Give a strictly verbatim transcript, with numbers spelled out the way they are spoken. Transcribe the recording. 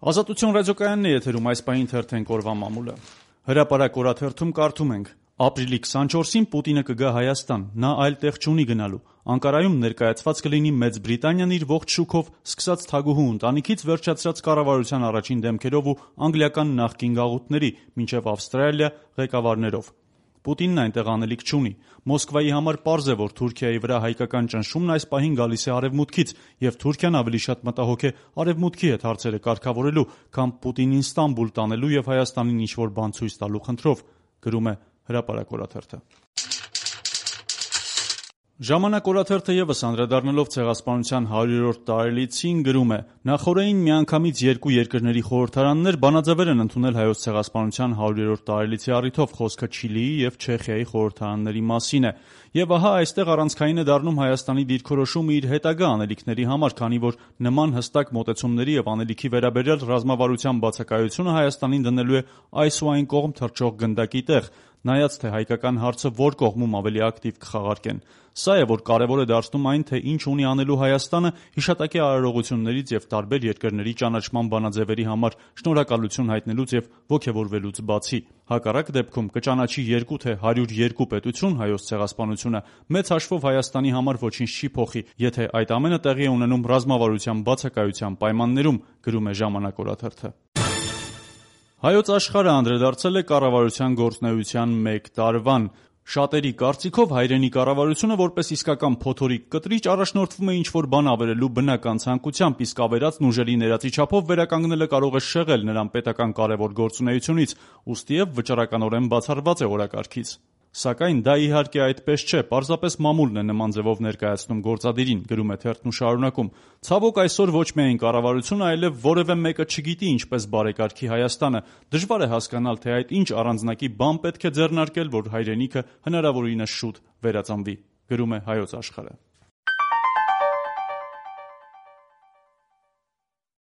Ազատություն ռադիոկայանն է եթերում, այս պահին թերթենք օրվա մամուլը։ Հրապարակ օրաթերթում կարդում ենք. ապրիլի քսանչորսին Պուտինը կգա Հայաստան, նա այլ տեղ չունի գնալու։ Անկարայում ներկայացված կլինի Մեծ Բրիտանիան իր ողջ շուքով, սկսած թագուհու ընտանիքից վերջացրած կառավարության առաջին դեմքերով ու անգլիական նախկին գաղութների, մինչև Ավստրալիա ղեկավարներով։ Պուտինն այնտեղ անելիք չունի։ Մոսկվայի համար պարզ է, որ Թուրքիայի վրա հայկական ճնշումն այս պահին գալիս է արևմուտքից, եւ Թուրքիան ավելի շատ մտահոգ է արևմուտքի հետ հարցերը կարգավորելու, քան Պուտինին Ստամբուլ տանելու եւ Հայաստանին ինչ-որ բան ցույց տալու խնդրով, գրում է Հրապարակ օրաթերթը։ Ժամանակ օրաթերթը ևս անդրադառնալով ցեղասպանության հարյուրորդ տարելիցին գրում է. նախորդին միանգամից երկու երկրների խորհրդարաններ բանաձևեր են ընդունել հայոց ցեղասպանության հարյուրորդ տարելիցի առիթով, խոսքը Չիլիի եւ Չեխիայի խորհրդարանների մասին է։ Եվ ահա այստեղ առանցքային է դառնում Հայաստանի դիրքորոշումը իր հետագա անելիքների համար, քանի որ նման հստակ մոտեցումների եւ անելիքի վերաբերյալ ռազմավարության բացակայությունը Հայաստանին դնելու է այս ու այն կողմ թռչող գնդակի տեղ, նայած թե հայկական հարցը որ կողմում ավելի ակտիվ կխաղարկեն։ Սա է, որ կարևոր է դարձնում այն, թե ինչ ունի անելու Հայաստանը հիշատակի արարողություններից եւ տարբեր երկրների ճանաչման բանաձևերի համար շնորհակալություն հայտնելուց եւ ոգեւորվելուց բացի։ Հակառակ դեպքում կճանաչի երկու թե հարյուր երկու պետություն հայոց ցեղասպանությունը, մեծ հաշվով Հայաստանի համար ոչինչ չի փոխի, եթե այդ ամենը տեղի է ունենում ռազմավարության բացակայության պայմաններում, գրում է Ժամանակ օրաթերթը։ Հայոց աշխարհը անդրադարձել է կառավարության գործունեության մեկ տարվան։ Շատերի կարծիքով հայրենի կառավարությունը որպես իսկական փոթորիկ կտրիչ առաջնորդվում է ինչ-որ բան ավերելու բնական ցանկությամբ, իսկ ավերածն ուժերի ներածի չափով վերականգնելը կարող է շեղել նրան պետական կարևոր գործունեությունից, ուստիև վճռականորեն բացառված է օրակարգից։ Սակայն դա իհարկե այդպես չէ, պարզապես մամուլն է նման ձևով ներկայացնում գործադիրին, գրում է թերթն ու շարունակում. ցավոք այսօր ոչ միայն կառավարությունը, այլև որևէ մեկը չգիտի ինչպես բարեկարգի Հայաստանը։ Դժվար է հասկանալ, թե այդ ինչ առանձնակի բան պետք է ձեռնարկել, որ հայրենիքը հնարավորինս շուտ վերածնվի, գրում է Հայոց Աշխարհը։